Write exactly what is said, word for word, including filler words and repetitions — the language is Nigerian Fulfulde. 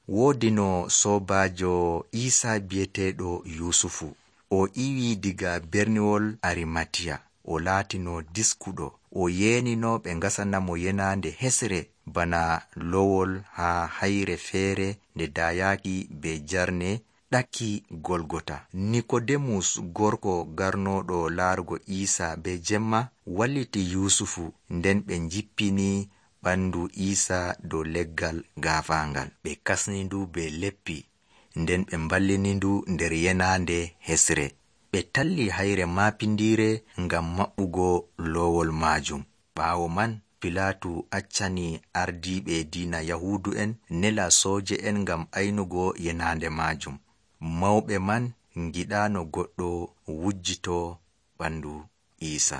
Woodi no soobaajo Iisa bi'eteeɗo Yuusufu. O iwi diga berniwol Arimatiya. O laatino diskuɗo. O yeenino ɓe ngasana mo yenaande hesre bana lowol haa hayre feere nde daayaaki be jarne ɗakki Golgota. Nikodemus, gorko garnooɗo laarugo Iisa be jemma, walliti Yuusufu, nden ɓe njippini ɓandu Iisa dow leggal gaafaangal. Ɓe kasni ndu be leppi, nden ɓe mballini ndu nder yenaande hesre. Ɓe talli hayre maapindiire ngam maɓɓugo loowol maajum. Ɓaawo man, Pilaatu accani ardiiɓe diina Yahuudu'en nela sooje'en ngam aynugo yenaande maajum. Mawɓe man ngiɗaano goɗɗo wujjitoo ɓandu Iisa.